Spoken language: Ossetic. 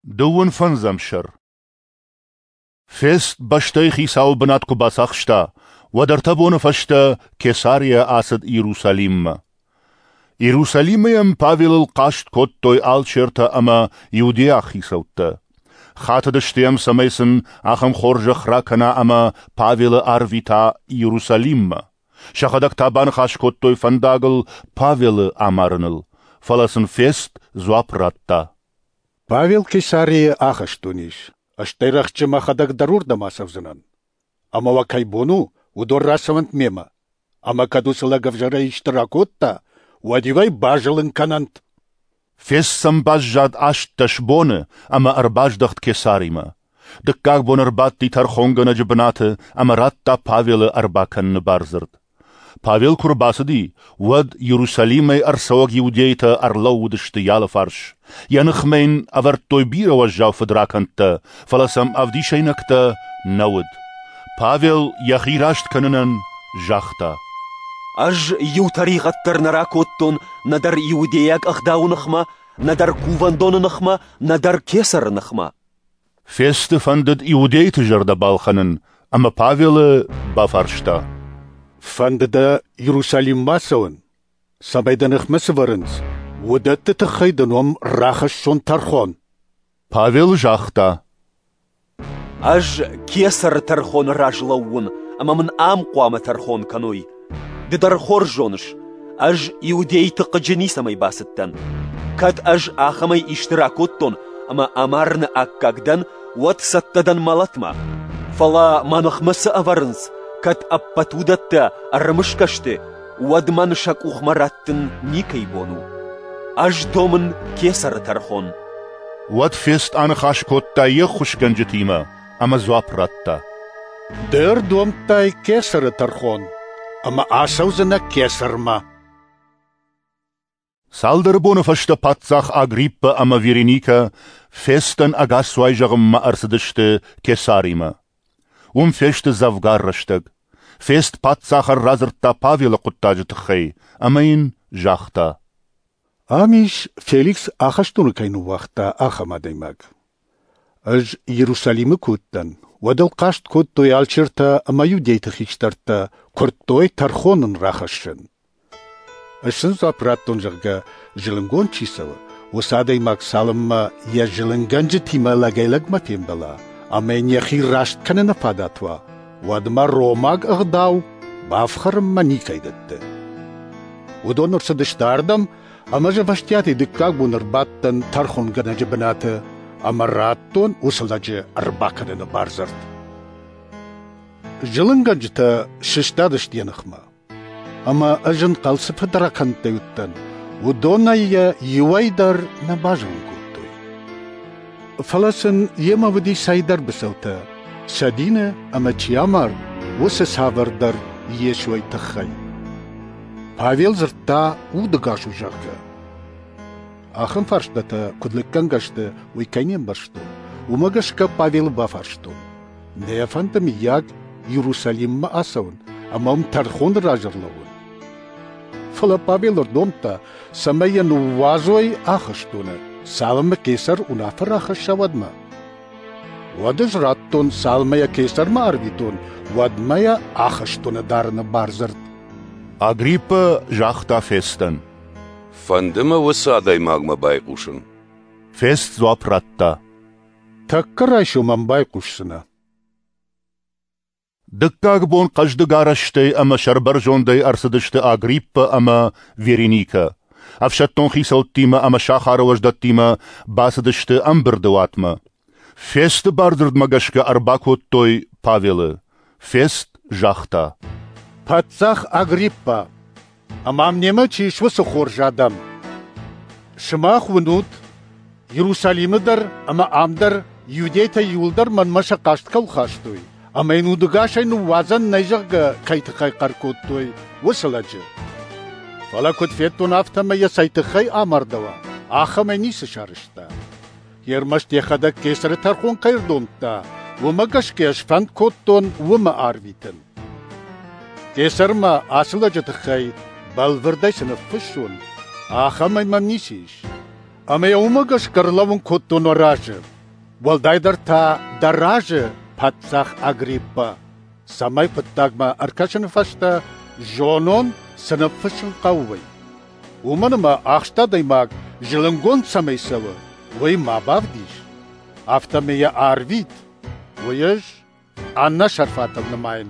Дыууын фӕндзӕм сӕр. Фест бӕстӕйы хицауы бынат куы бацахста, уӕд ӕртӕ боны фӕстӕ Кесарийӕ ацыд Иерусалиммӕ. Иерусалимы йӕм Павелыл хъаст кодтой алчертӕ ӕмӕ иудейаг хицӕуттӕ. Хатыдысты йӕм, цӕмӕй сын ахӕм хорзӕх ракӕна ӕмӕ Павелы арвита Иерусалиммӕ. Сӕхӕдӕг та баныхас кодтой фӕндагыл Павелы амарыныл, фӕлӕ сын Фест дзуапп радта: Павел Кесарийы ахӕстоны ис, стӕй рӕхджы мӕхӕдӕг дӕр уырдӕм ацӕудзынӕн. Ӕмӕ уӕ кӕй бон у, уыдон рацӕуӕнт мемӕ. Ӕмӕ кӕд уыцы лӕг ӕвзӕрӕй исты ракодта, уӕд-иу ӕй базылын кӕнӕнт. Фест сӕм баззад 18 боны ӕмӕ ӕрбаздӕхт Кесаримӕ. Дыккаг бон ӕрбадти тӕрхонгӕнӕджы бынаты ӕмӕ радта Павелы ӕрбакӕныны бардзырд. Павел куы рбацыди, уӕд Иерусалимӕй ӕрцӕуӕг иудейтӕ ӕрлӕууыдысты йӕ алыфарс. Йӕ ныхмӕ йын ӕвӕрдтой бирӕ уӕззау фыдракӕндтӕ, фӕлӕ сӕм ӕвдисӕйнӕгтӕ нӕ уыд. Павел йӕхи раст кӕнынӕн загъта: Ӕз иу тӕригъӕд дӕр нӕ ракодтон нӕдӕр иудейаг ӕгъдауы ныхмӕ, нӕдӕр кувӕндоны ныхмӕ, нӕдӕр кесӕры ныхмӕ. Фесты фӕндыд иудейты зӕрдӕ балхӕнын, ӕмӕ Павелы бафарста: Фӕнды дӕ Иерусалиммӕ ацӕуын, цӕмӕй дӕ ныхмӕ цы вӕрынц, уыдӕтты тыххӕй дын уым рахӕссон тӕрхон? Павел загъта: Ӕз кесӕры тӕрхоны раз лӕууын, ӕмӕ мын ам хъуамӕ тӕрхон кӕной. Ды дӕр хорз зоныс, ӕз иудейты хъыджы ницӕмӕй бацыдтӕн. Кӕд ӕз ахӕмӕй исты ракодтон ӕмӕ амарыны аккаг дӕн, уӕд цӕттӕ дӕн мӕлӕтмӕ. Фӕлӕ мӕ ныхмӕ цы ӕвӕрынц, кӕд ӕппӕт уыдӕттӕ ӕрымысгӕ сты, уӕд мӕн сӕ къухмӕ раттын никӕй бон у. Ӕз домын кесӕры тӕрхон. Уӕд Фест аныхас кодта йе ххуысгӕнджытимӕ ӕмӕ дзуапп радта: Ды ӕрдомдтай кесӕры тӕрхон, ӕмӕ ацӕудзынӕ кесӕрмӕ. Цалдӕр боны фӕстӕ паддзах Агриппа ӕмӕ Вереникӕ Фестӕн ӕгасцуай зӕгъынмӕ ӕрцыдысты Кесаримӕ. Уым фесты дзӕвгар рӕстӕг. Фест паддзахӕн радзырдта Павелы хъуыддаджы тыххӕй ӕмӕ йын загъта: Ам ис, Феликс ахӕстоны кӕй ныууагъта, ахӕм адӕймаг. Ӕз Иерусалимы куы уыдтӕн, уӕд ыл хъаст кодтой алчертӕ ӕмӕ иудейты хистӕртӕ, куырдтой тӕрхон ын рахӕссын. Ӕз сын дзуапп радтон, зӕгъгӕ, зылынгонд чи цӕуы, уыцы адӕймаг цалынмӕ йӕ зылынгӕнджытимӕ лӕгӕй-лӕгмӕ фембӕла ӕмӕ йын йӕхи раст кӕныны фадат уа, уӕдмӕ ромаг ӕгъдау бафхӕрынмӕ никӕй дӕтты. Уыдон ӕрцыдысты ардӕм, ӕмӕ ӕз ӕвӕстиатӕй дыккаг бон ӕрбадтӕн тӕрхонгӕнӕджы бынаты ӕмӕ радтон уыцы лӕджы ӕрбакӕныны бардзырд. Зылынгӕнджытӕ сыстадысты йӕ ныхмӕ, ӕмӕ ӕз ӕнхъӕл цы фыдракӕндтӕй уыдтӕн, уыдонӕй йӕ иуӕй дӕр нӕ базылын кодтой. Фӕлӕ сын йемӕ уыди цӕйдӕр быцӕутӕ, сӕ дины ӕмӕ чи амард, уыцы цавӕрдӕр Йесойы тыххӕй. Павел дзырдта, удӕгас у, зӕгъгӕ. Ахӕм фарстатӕ куыд лыггӕнгӕ сты, уый кӕй не мбӕрстон, уымӕ гӕсгӕ Павелы бафарстон: Нӕ фӕнды, мыййаг, Иерусалиммӕ ацӕуын ӕмӕ уым тӕрхоны раз ӕрлӕууын? Фӕлӕ Павел ӕрдомдта, цӕмӕй йӕ ныууадзой ахӕстоны, цалынмӕ кесӕр уынаффӕ рахӕсса, уӕдмӕ. Уӕд ӕз радтон, цалынмӕ йӕ кесӕрмӕ арвитон, уӕдмӕ йӕ ахӕстоны дарыны бардзырд. Агриппа загъта Фестӕн: Фӕнды мӕ уыцы адӕймагмӕ байхъусын. Фест дзуапп радта: Тӕккӕ райсом ӕм байхъусдзынӕ. Дыккаг бон хъӕздыг арӕзтӕй ӕмӕ сӕрбӕрзондӕй ӕрцыдысты Агриппа ӕмӕ Вереникӕ. Ӕфсӕддон хицӕуттимӕ ӕмӕ сахары уӕздӕттимӕ бацыдысты ӕмбырды уатмӕ. Фесты бардзырдмӕ гӕсгӕ ӕрбакодтой Павелы. Фест загъта: Паддзах Агриппа, ӕмӕ ам немӕ чи ис, уыцы хорз адӕм! Сымах уынут, Иерусалимы дӕр ӕмӕ ам дӕр иудейтӕ иуылдӕр мӕнмӕ сӕ хъаст кӕуыл хастой, ӕмӕ йын удӕгасӕй ныууадзӕн нӕй, зӕгъгӕ, кӕй тыххӕй хъӕр кодтой, уыцы лӕджы. Фӕлӕ куыд федтон, афтӕмӕй йӕ цӕй тыххӕй амардӕуа, ахӕмӕй ницы сарӕзта. Ӕрмӕст йӕхӕдӕг кесӕры тӕрхон кӕй ӕрдомдта, уымӕ гӕсгӕ сфӕнд кодтон уымӕ арвитын. Кесӕрмӕ ацы лӕджы тыххӕй бӕлвырдӕй цы ныффыссон, ахӕмӕй мӕм ницы ис. Ӕмӕ йӕ уымӕ гӕсгӕ ӕрлӕууын кодтон уӕ разы, уӕлдайдӕр та дӕ разы, паддзах Агриппа, цӕмӕй хъуыддагмӕ ӕркӕсыны фӕстӕ зонон, цы ныффыссын хъӕуы, уый. Уымӕн ӕмӕ ахст адӕймаг зылынгонд цӕмӕй цӕуы, уый ма бавдис, афтӕмӕй йӕ арвит, уый ӕз ӕнӕсӕрфатыл нымайын.